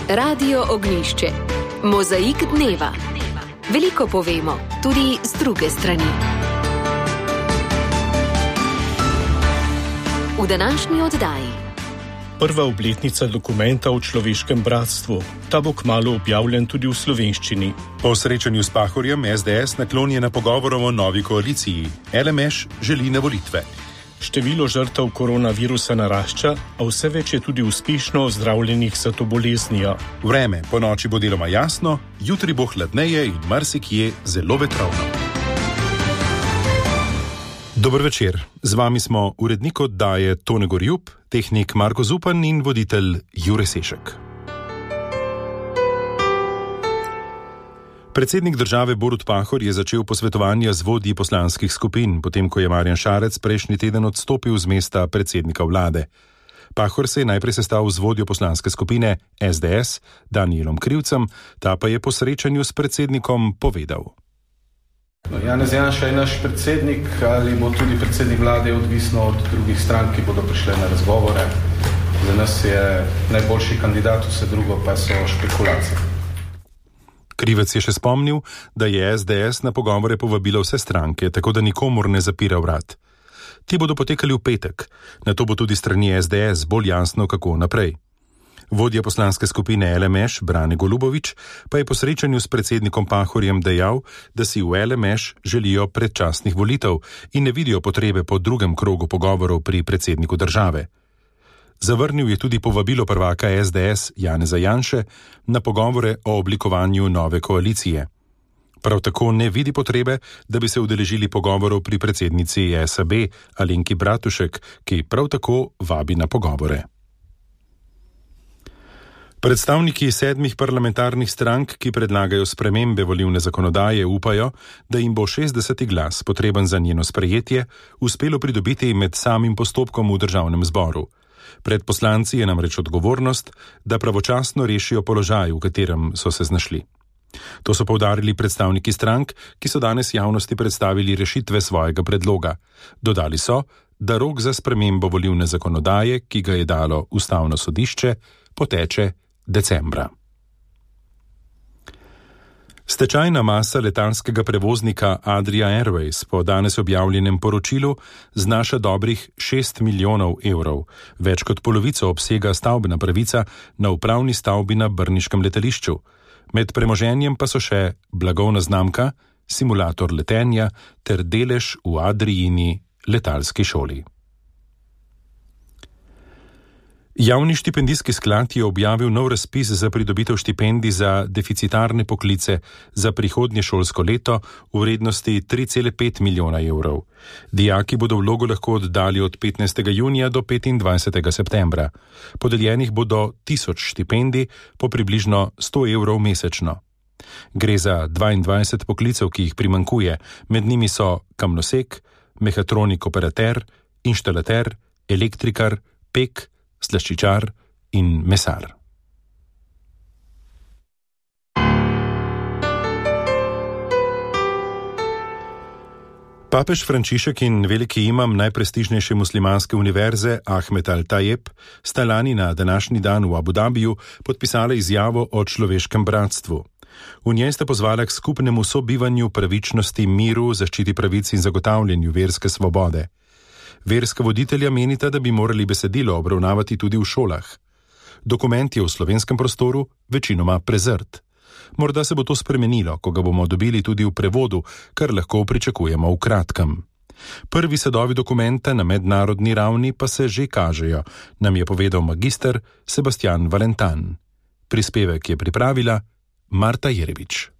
Radio Ognjišče. Mozaik dneva. Veliko povemo, tudi z druge strani. V današnji oddaji. Prva obletnica dokumenta o človeškem bratstvu. Ta bo kmalu objavljen tudi v slovenščini. Po srečanju s Pahorjem SDS naklonjena pogovorom o novi koaliciji. LMŠ želi na volitve. Število žrtev koronavirusa narašča, a vse več je tudi uspešno ozdravljenih za to boleznijo. Vreme po noči bo deloma jasno, jutri bo hladneje in marsikje zelo vetrovno. Dober večer, z vami smo urednik oddaje Tone Gorjub, tehnik Marko Zupan in voditelj Jure Sešek. Predsednik države Borut Pahor je začel posvetovanja z vodji poslanskih skupin, potem ko je Marjan Šarec prejšnji teden odstopil z mesta predsednika vlade. Pahor se je najprej sestal z vodjo poslanske skupine SDS, Danijelom Krivcem, ta pa je po srečanju s predsednikom povedal. Janez Janša je naš predsednik, ali bo tudi predsednik vlade, odvisno od drugih strank, ki bodo prišle na razgovore. Za nas je najboljši kandidat, vse drugo pa so špekulacije. Krivec je še spomnil, da je SDS na pogovore povabila vse stranke, tako da nikomur ne zapira vrat. Ti bodo potekali v petek, nato bo tudi strani SDS bolj jasno, kako naprej. Vodja poslanske skupine LMŠ, Brane Golubović, pa je po srečanju s predsednikom Pahorjem dejal, da si v LMŠ želijo predčasnih volitev in ne vidijo potrebe po drugem krogu pogovorov pri predsedniku države. Zavrnil je tudi povabilo prvaka SDS Janeza Janše na pogovore o oblikovanju nove koalicije. Prav tako ne vidi potrebe, da bi se udeležili pogovorov pri predsednici SAB Alenki Bratušek, ki prav tako vabi na pogovore. Predstavniki 7 parlamentarnih strank, ki predlagajo spremembe volilne zakonodaje, upajo, da jim bo 60. glas, potreben za njeno sprejetje, uspelo pridobiti med samim postopkom v državnem zboru. Pred poslanci je namreč odgovornost, da pravočasno rešijo položaj, v katerem so se znašli. To so poudarili predstavniki strank, ki so danes javnosti predstavili rešitve svojega predloga. Dodali so, da rok za spremembo volilne zakonodaje, ki ga je dalo Ustavno sodišče, poteče decembra. Stečajna masa letalskega prevoznika Adria Airways po danes objavljenem poročilu znaša dobrih 6 milijonov evrov, več kot polovico obsega stavbna pravica na upravni stavbi na brniškem letališču. Med premoženjem pa so še blagovna znamka, simulator letenja ter delež v Adrijini letalski šoli. Javni štipendijski sklad je objavil nov razpis za pridobitev štipendij za deficitarne poklice za prihodnje šolsko leto v vrednosti 3,5 milijona evrov. Dijaki bodo vlogo lahko oddali od 15. junija do 25. septembra. Podeljenih bodo 1000 štipendij po približno 100 evrov mesečno. Gre za 22 poklicev, ki jih primanjkuje, med njimi so kamnosek, mehatronik operater, inštalater, elektrikar, pek, slaščičar in mesar. Papež Frančišek in veliki imam najprestižnejše muslimanske univerze Ahmed Al-Tajeb sta lani na današnji dan v Abu Dhabiju podpisala izjavo o človeškem bratstvu. V njej sta pozvala k skupnemu sobivanju, pravičnosti, miru, zaščiti pravic in zagotavljanju verske svobode. Verska voditelja menita, da bi morali besedilo obravnavati tudi v šolah. Dokument je v slovenskem prostoru večinoma prezrt. Morda se bo to spremenilo, ko ga bomo dobili tudi v prevodu, kar lahko pričakujemo v kratkem. Prvi sadovi dokumenta na mednarodni ravni pa se že kažejo, nam je povedal magister Sebastian Valentan. Prispevek je pripravila Marta Jerevič.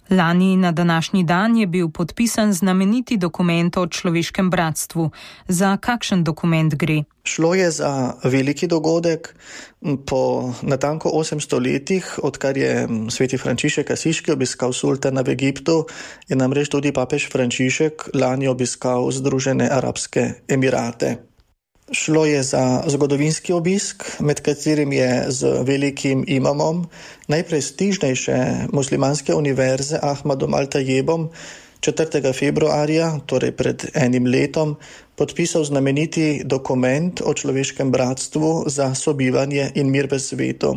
Lani na današnji dan je bil podpisan znameniti dokument o človeškem bratstvu. Za kakšen dokument gre? Šlo je za veliki dogodek. Po natanko 800 letih, odkar je sveti Frančišek Asiški obiskal sultana v Egiptu, je namreč tudi papež Frančišek lani obiskal Združene arabske emirate. Šlo je za zgodovinski obisk, med katerim je z velikim imamom najprestižnejše muslimanske univerze Ahmadom Al-Tajebom 4. februarja, torej pred enim letom, podpisal znameniti dokument o človeškem bratstvu za sobivanje in mir v svetu.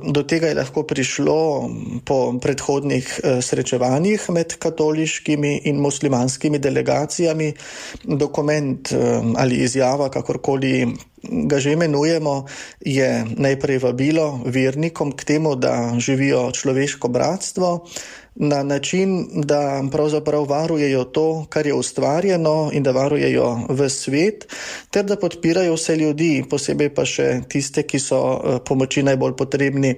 Do tega je lahko prišlo po predhodnih srečevanjih med katoliškimi in muslimanskimi delegacijami. Dokument ali izjava, kakorkoli ga že imenujemo, je najprej vabilo vernikom k temu, da živijo človeško bratstvo na način, da pravzaprav varujejo to, kar je ustvarjeno in da varujejo v svet, ter da podpirajo vse ljudi, posebej pa še tiste, ki so pomoči najbolj potrebni.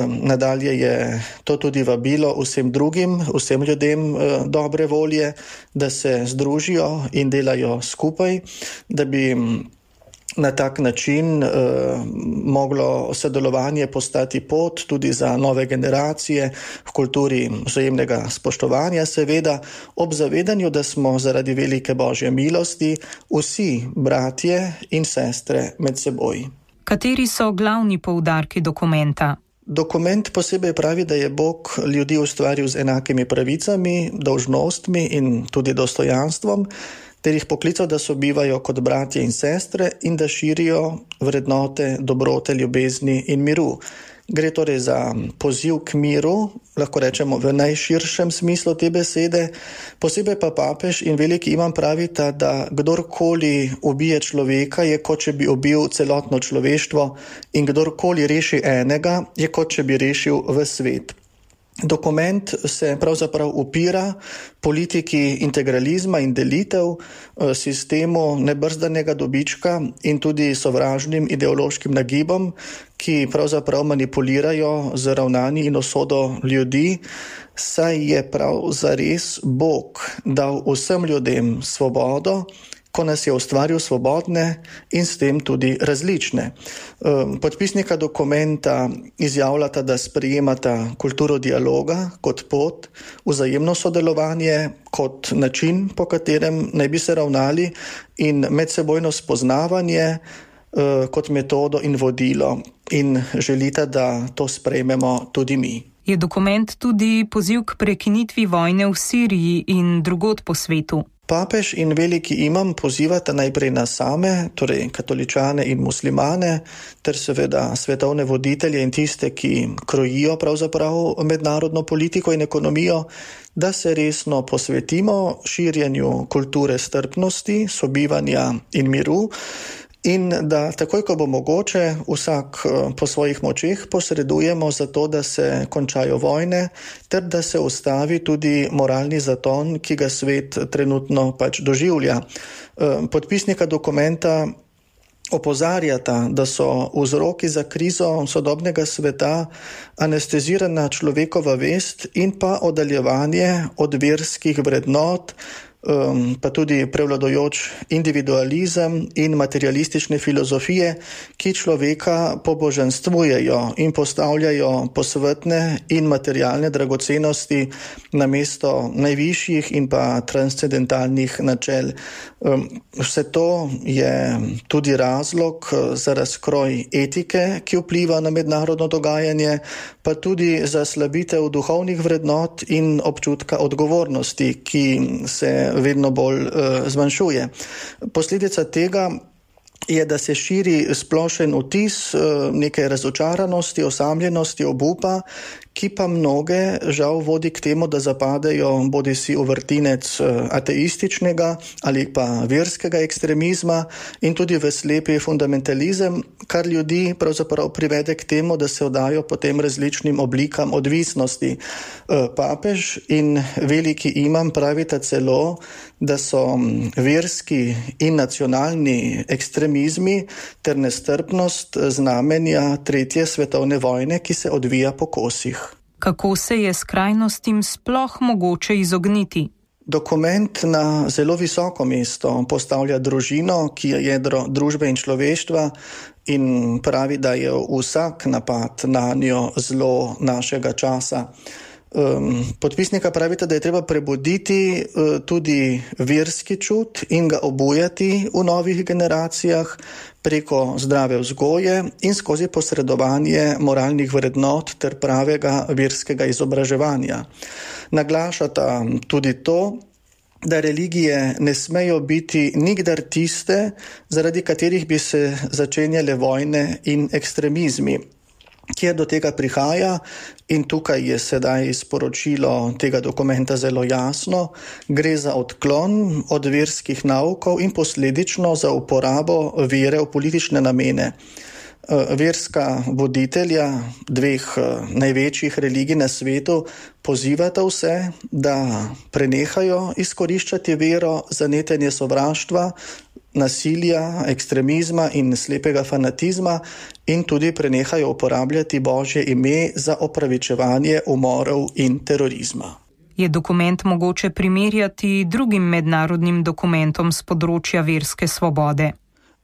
Nadalje je to tudi vabilo vsem drugim, vsem ljudem dobre volje, da se združijo in delajo skupaj, da bi na tak način moglo sodelovanje postati pot tudi za nove generacije v kulturi vzajemnega spoštovanja, seveda ob zavedanju, da smo zaradi velike Božje milosti vsi bratje in sestre med seboj. Kateri so glavni poudarki dokumenta? Dokument posebej pravi, da je Bog ljudi ustvaril z enakimi pravicami, dolžnostmi in tudi dostojanstvom, ter jih poklical, da sobivajo kot bratje in sestre in da širijo vrednote, dobrote, ljubezni in miru. Gre torej za poziv k miru, lahko rečemo v najširšem smislu te besede. Posebej pa papež in veliki imam pravita, da kdorkoli ubije človeka, je kot če bi ubil celotno človeštvo, in kdorkoli reši enega, je kot če bi rešil ves svet. Dokument se pravzaprav upira politiki integralizma in delitev, sistemu nebrzdanega dobička in tudi sovražnim ideološkim nagibom, ki pravzaprav manipulirajo z ravnanji in usodo ljudi, saj je prav zares Bog dal vsem ljudem svobodo, ko nas je ustvaril svobodne in s tem tudi različne. Podpisnika dokumenta izjavljata, da sprejemata kulturo dialoga kot pot, vzajemno sodelovanje kot način, po katerem naj bi se ravnali, in medsebojno spoznavanje kot metodo in vodilo, in želita, da to sprejmemo tudi mi. Je dokument tudi poziv k prekinitvi vojne v Siriji in drugod po svetu? Papež in veliki imam pozivata najprej nas same, torej katoličane in muslimane, ter seveda svetovne voditelje in tiste, ki krojijo pravzaprav mednarodno politiko in ekonomijo, da se resno posvetimo širjenju kulture strpnosti, sobivanja in miru, in da takoj, ko bo mogoče, vsak po svojih močeh posredujemo za to, da se končajo vojne, ter da se ustavi tudi moralni zaton, ki ga svet trenutno pač doživlja. Podpisnika dokumenta opozarjata, da so vzroki za krizo sodobnega sveta anestezirana človekova vest in pa oddaljevanje od verskih vrednot, pa tudi prevladujoč individualizem in materialistične filozofije, ki človeka pobožanstvujejo in postavljajo posvetne in materialne dragocenosti namesto najvišjih in pa transcendentalnih načel. Vse to je tudi razlog za razkroj etike, ki vpliva na mednarodno dogajanje, pa tudi za slabitev duhovnih vrednot in občutka odgovornosti, ki se vedno bolj zmanjšuje. Posledica tega je, da se širi splošen vtis neke razočaranosti, osamljenosti, obupa, ki pa mnoge žal vodi k temu, da zapadejo bodisi v vrtinec ateističnega ali pa verskega ekstremizma in tudi v slepi fundamentalizem, kar ljudi pravzaprav privede k temu, da se oddajo potem različnim oblikam odvisnosti. Papež in veliki imam pravita celo, da so verski in nacionalni ekstremizmi ter nestrpnost znamenja tretje svetovne vojne, ki se odvija po kosih. Kako se je skrajnostim sploh mogoče izogniti? Dokument na zelo visoko mesto postavlja družino, ki je jedro družbe in človeštva, in pravi, da je vsak napad na njo zlo našega časa. Podpisnika pravita, da je treba prebuditi tudi verski čut in ga obujati v novih generacijah preko zdrave vzgoje in skozi posredovanje moralnih vrednot ter pravega verskega izobraževanja. Naglašata tudi to, da religije ne smejo biti nikdar tiste, zaradi katerih bi se začenjale vojne in ekstremizmi. Kjer do tega prihaja, in tukaj je sedaj sporočilo tega dokumenta zelo jasno, gre za odklon od verskih naukov in posledično za uporabo vere v politične namene. Verska voditelja dveh največjih religij na svetu pozivata vse, da prenehajo izkoriščati vero za netenje sovraštva, nasilja, ekstremizma in slepega fanatizma in tudi prenehajo uporabljati Božje ime za opravičevanje umorov in terorizma. Je dokument mogoče primerjati drugim mednarodnim dokumentom z področja verske svobode?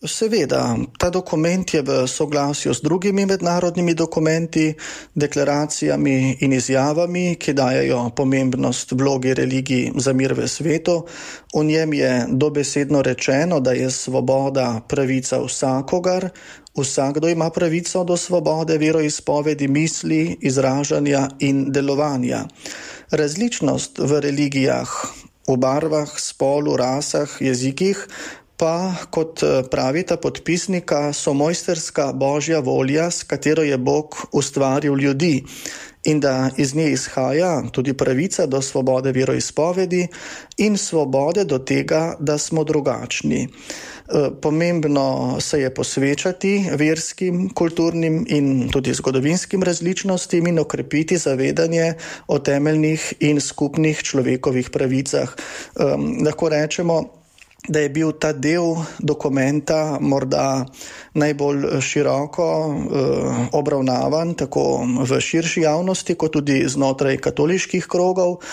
Seveda, ta dokument je v soglasju z drugimi mednarodnimi dokumenti, deklaracijami in izjavami, ki dajejo pomembnost vlogi religij za mir v svetu. V njem je dobesedno rečeno, da je svoboda pravica vsakogar, vsakdo ima pravico do svobode veroizpovedi, misli, izražanja in delovanja. Različnost v religijah, v barvah, spolu, rasah, jezikih, pa, kot pravita podpisnika, so mojsterska Božja volja, s katero je Bog ustvaril ljudi in da iz nje izhaja tudi pravica do svobode veroizpovedi in svobode do tega, da smo drugačni. Pomembno se je posvečati verskim, kulturnim in tudi zgodovinskim različnostim in okrepiti zavedanje o temeljnih in skupnih človekovih pravicah. Lahko rečemo, da je bil ta del dokumenta morda najbolj široko obravnavan, tako v širši javnosti, kot tudi znotraj katoliških krogov.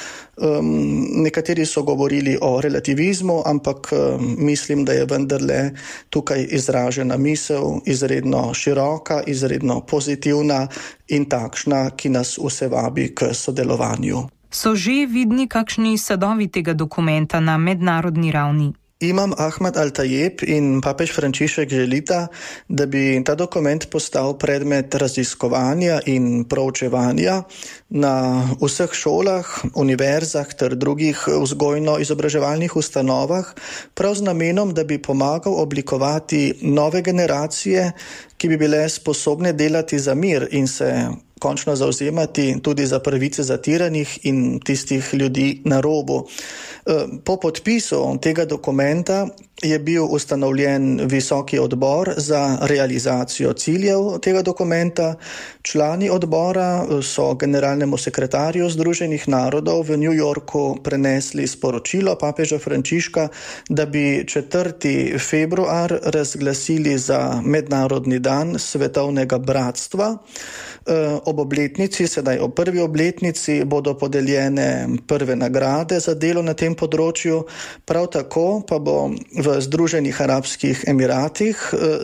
Nekateri so govorili o relativizmu, ampak mislim, da je vendarle tukaj izražena misel izredno široka, izredno pozitivna in takšna, ki nas vse vabi k sodelovanju. So že vidni kakšni sadovi tega dokumenta na mednarodni ravni? Imam Ahmed Al-Tayeb in papež Frančišek želita, da bi ta dokument postal predmet raziskovanja in proučevanja na vseh šolah, univerzah ter drugih vzgojno-izobraževalnih ustanovah, prav z namenom, da bi pomagal oblikovati nove generacije, ki bi bile sposobne delati za mir in se končno zavzemati tudi za pravice zatiranih in tistih ljudi na robu. Po podpisu tega dokumenta je bil ustanovljen visoki odbor za realizacijo ciljev tega dokumenta. Člani odbora so generalnemu sekretarju Združenih narodov v New Yorku prenesli sporočilo papeža Frančiška, da bi 4. februar razglasili za mednarodni dan svetovnega bratstva. Ob obletnici, sedaj ob prvi obletnici, bodo podeljene prve nagrade za delo na tem področju. Prav tako pa bo v Združenih arabskih emiratih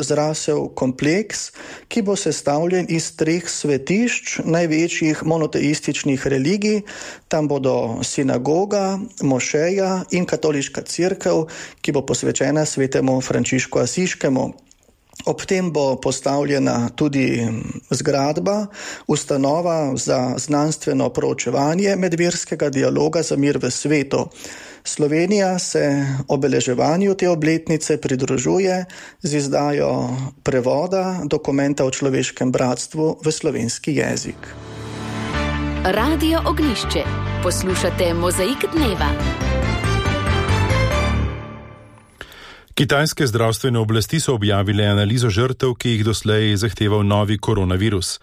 zrasel kompleks, ki bo sestavljen iz 3 svetišč največjih monoteističnih religij. Tam bodo sinagoga, mošeja in katoliška cerkev, ki bo posvečena svetemu Frančišku Asiškemu. Ob tem bo postavljena tudi zgradba, ustanova za znanstveno proučevanje medverskega dialoga za mir v svetu. Slovenija se obeleževanju te obletnice pridružuje z izdajo prevoda dokumenta o človeškem bratstvu v slovenski jezik. Radio Ognjišče. Poslušate Mozaik dneva. Kitajske zdravstvene oblasti so objavile analizo žrtev, ki jih doslej zahteval novi koronavirus.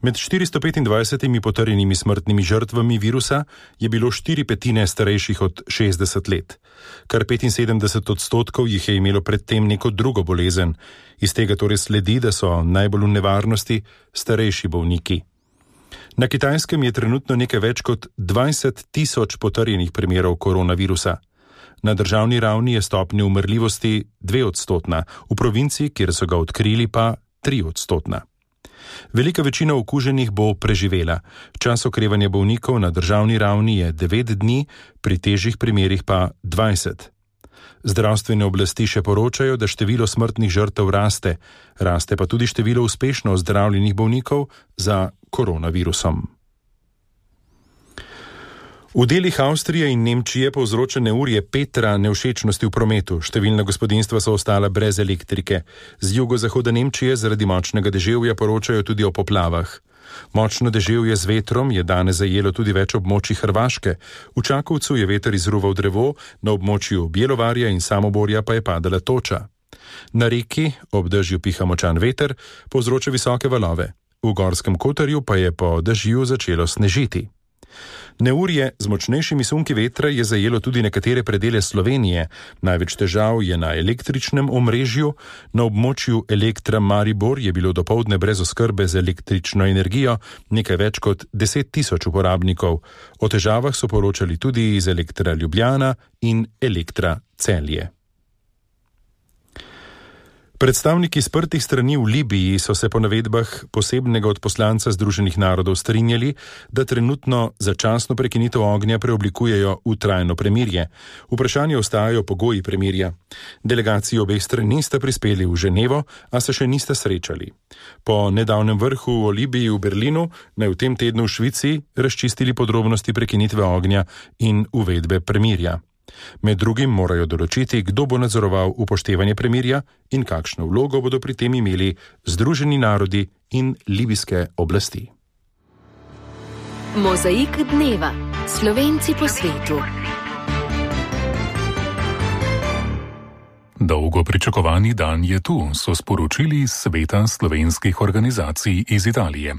Med 425 potrjenimi smrtnimi žrtvami virusa je bilo 4/5 starejših od 60 let. Kar 75% jih je imelo predtem neko drugo bolezen. Iz tega torej sledi, da so najbolj v nevarnosti starejši bolniki. Na Kitajskem je trenutno nekaj več kot 20.000 potrjenih primerov koronavirusa. Na državni ravni je stopnja umrljivosti 2%, v provinci, kjer so ga odkrili, pa 3%. Velika večina okuženih bo preživela. Čas okrevanja bolnikov na državni ravni je 9 dni, pri težjih primerih pa 20. Zdravstvene oblasti še poročajo, da število smrtnih žrtev raste. Raste pa tudi število uspešno ozdravljenih bolnikov za koronavirusom. V delih Avstrije in Nemčije povzroča neurje Petra nevšečnosti v prometu. Številna gospodinjstva so ostala brez elektrike. Z jugozahoda Nemčije zaradi močnega deževja poročajo tudi o poplavah. Močno deževje z vetrom je danes zajelo tudi več območij Hrvaške. V Čakovcu je veter izruval drevo, na območju Bjelovarja in Samoborja pa je padala toča. Na reki ob dežju piha močan veter, povzroča visoke valove. V Gorskem Kotarju pa je po dežju začelo snežiti. Neurje z močnejšimi sunki vetra je zajelo tudi nekatere predele Slovenije. Največ težav je na električnem omrežju. Na območju Elektra Maribor je bilo dopoldne brez oskrbe z električno energijo nekaj več kot 10 000 uporabnikov. O težavah so poročali tudi iz Elektra Ljubljana in Elektra Celje. Predstavniki sprtih strani v Libiji so se po navedbah posebnega odposlanca Združenih narodov strinjali, da trenutno začasno prekinitev ognja preoblikujejo v trajno premirje. Vprašanje ostajajo pogoji premirja. Delegaciji obeh strani sta prispeli v Ženevo, a se še nista srečali. Po nedavnem vrhu o Libiji v Berlinu naj v tem tednu v Švici razčistili podrobnosti prekinitve ognja in uvedbe premirja. Med drugim morajo določiti, kdo bo nadzoroval upoštevanje premirja in kakšno vlogo bodo pri tem imeli Združeni narodi in libijske oblasti. Mozaik dneva. Slovenci po svetu. Dolgo pričakovani dan je tu, so sporočili iz Sveta slovenskih organizacij iz Italije.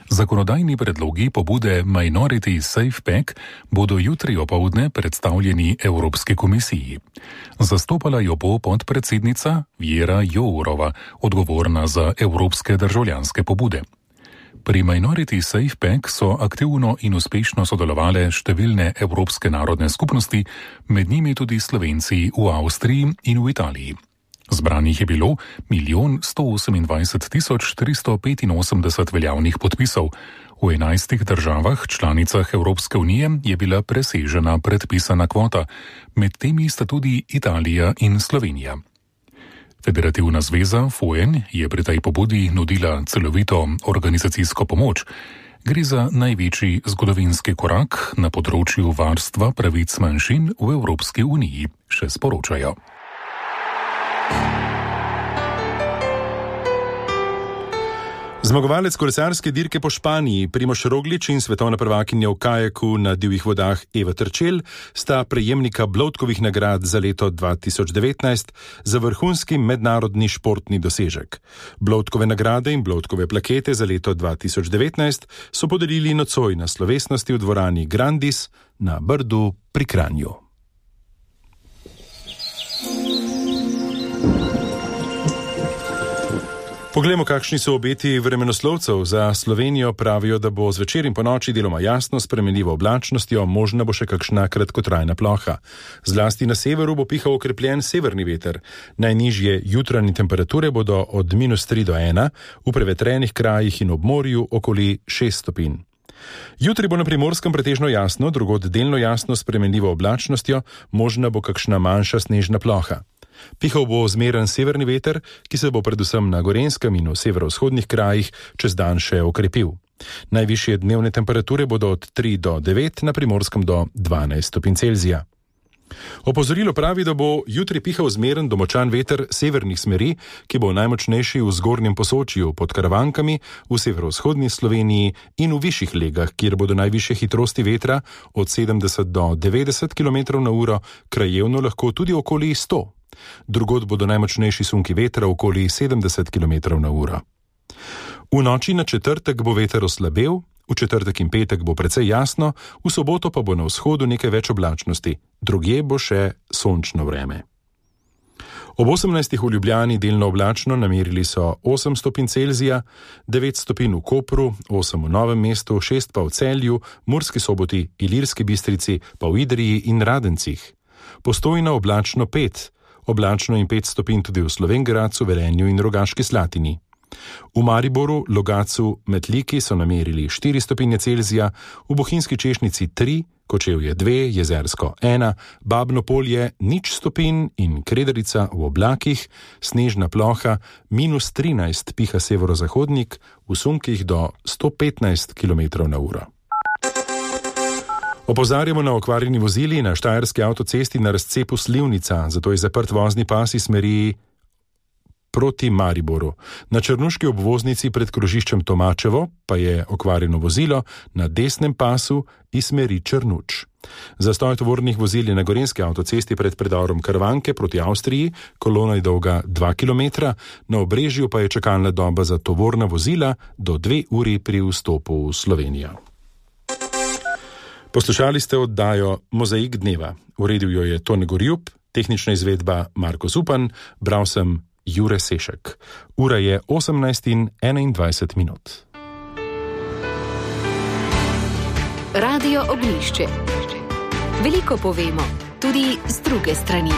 Zakonodajni predlogi pobude Minority Safe Pack bodo jutri opoldne predstavljeni Evropski komisiji. Zastopala jo bo podpredsednica Věra Jourova, odgovorna za evropske državljanske pobude. Pri Minority Safe Pack so aktivno in uspešno sodelovale številne evropske narodne skupnosti, med njimi tudi Slovenci v Avstriji in v Italiji. Zbranih je bilo 1 128 385 veljavnih podpisov. V 11 državah članicah Evropske unije je bila presežena predpisana kvota, med temi sta tudi Italija in Slovenija. Federativna zveza FOEN je pri tej pobudi nudila celovito organizacijsko pomoč. Gre za največji zgodovinski korak na področju varstva pravic manjšin v Evropski uniji, še sporočajo. Zmagovalec kolesarske dirke po Španiji, Primož Roglič in svetovna prvakinja v kajaku na divjih vodah Eva Terčelj sta prejemnika Bloudkovih nagrad za leto 2019 za vrhunski mednarodni športni dosežek. Bloudkove nagrade in Bloudkove plakete za leto 2019 so podelili nocoj na slovesnosti v dvorani Grandis na Brdu pri Kranju. Poglejmo, kakšni so obeti vremenoslovcev. Za Slovenijo pravijo, da bo zvečer in ponoči deloma jasno, spremenljivo oblačnostjo, možna bo še kakšna kratkotrajna ploha. Zlasti na severu bo pihal okrepljen severni veter. Najnižje jutranje temperature bodo od -3 do 1, v prevetrenih krajih in ob morju okoli 6 stopinj. Jutri bo na Primorskem pretežno jasno, drugod delno jasno, spremenljivo oblačnostjo, možna bo kakšna manjša snežna ploha. Pihal bo zmeren severni veter, ki se bo predvsem na Gorenjskem in v severovzhodnih krajih čez dan še okrepil. Najvišje dnevne temperature bodo od 3 do 9, na Primorskem do 12 stopinj Celzija. Opozorilo pravi, da bo jutri pihal zmeren do močan veter severnih smeri, ki bo najmočnejši v zgornjem Posočju, pod Karavankami, v severovzhodni Sloveniji in v višjih legah, kjer bodo najvišje hitrosti vetra od 70 do 90 km/h, krajevno lahko tudi okoli 100. Drugod bodo najmočnejši sunki vetra okoli 70 km/h. V noči na četrtek bo veter oslabel, v četrtek in petek bo precej jasno, v soboto pa bo na vzhodu nekaj več oblačnosti, drugje bo še sončno vreme. Ob 18. v Ljubljani delno oblačno, namerili so 8 stopinj Celzija, 9 stopinj v Kopru, 8 v Novem mestu, 6 pa v Celju, Murski Soboti, Ilirski Bistrici, pa v Idriji in Radencih. Postojna oblačno 5, oblačno in 5 stopinj tudi v Slovenj Gradcu, Velenju in Rogaški Slatini. V Mariboru, Logatcu, Metliki so namerili 4 stopinje Celzija, v Bohinjski Češnici 3, Kočevje 2, Jezersko 1, Babno Polje 0 stopinj in Kredarica v oblakih, snežna ploha -13 piha severozahodnik, v sunkih do 115 km/h. Opozarjamo na okvarjeni vozili na Štajerski avtocesti na razcepu Slivnica, zato je zaprt vozni pas iz smeri proti Mariboru. Na črnuški obvoznici pred krožiščem Tomačevo pa je okvarjeno vozilo na desnem pasu iz smeri Črnuč. Zastoj tovornih vozil je na Gorenjski avtocesti pred predorom Krvanke proti Avstriji, kolona je dolga 2 km, na Obrežju pa je čakalna doba za tovorna vozila do 2 uri pri vstopu v Slovenijo. Poslušali ste oddajo Mozaik dneva. Uredil jo je Tone Gorjup, tehnična izvedba Marko Zupan, bral sem Jure Sešek. Ura je 18:21. Radio Ognjišče. Veliko povemo, tudi z druge strani.